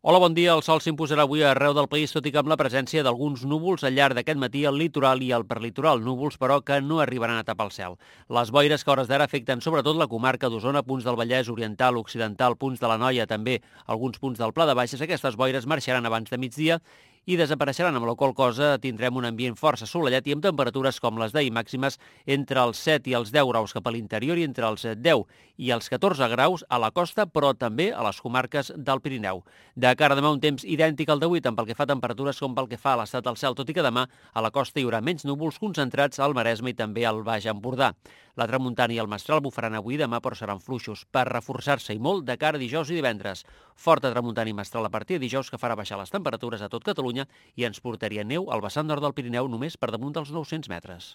Hola, bon dia. El sol s'imposarà avui arreu del país, tot i que amb la presència d'alguns núvols al llarg d'aquest matí al litoral i al perlitoral. Núvols, però, que no arribaran a tapar el cel. Les boires que a hores d'ara afecten sobretot la comarca d'Osona, punts del Vallès Oriental, Occidental, punts de l'Anoia, també alguns punts del Pla de Baixes. Aquestes boires marxaran abans de migdia i desapareixeran, amb la qual cosa tindrem un ambient força assolellat i amb temperatures com les d'ahir màximes entre els 7 i els 10 graus cap a l'interior i entre els 10 i els 14 graus a la costa, però també a les comarques del Pirineu. De cara a demà, un temps idèntic al d'avui, tant pel que fa a temperatures com pel que fa a l'estat del cel, tot i que demà a la costa hi haurà menys núvols concentrats al Maresme i també al Baix Empordà. La tramuntana i el mestral bufaran avui i demà, però seran fluixos, per reforçar-se i molt de cara a dijous i divendres. Forta tramuntana i mestral a partir de dijous, que farà baixar les temperatures a tot Catalunya i ens portaria neu al vessant nord del Pirineu només per damunt dels 900 metres.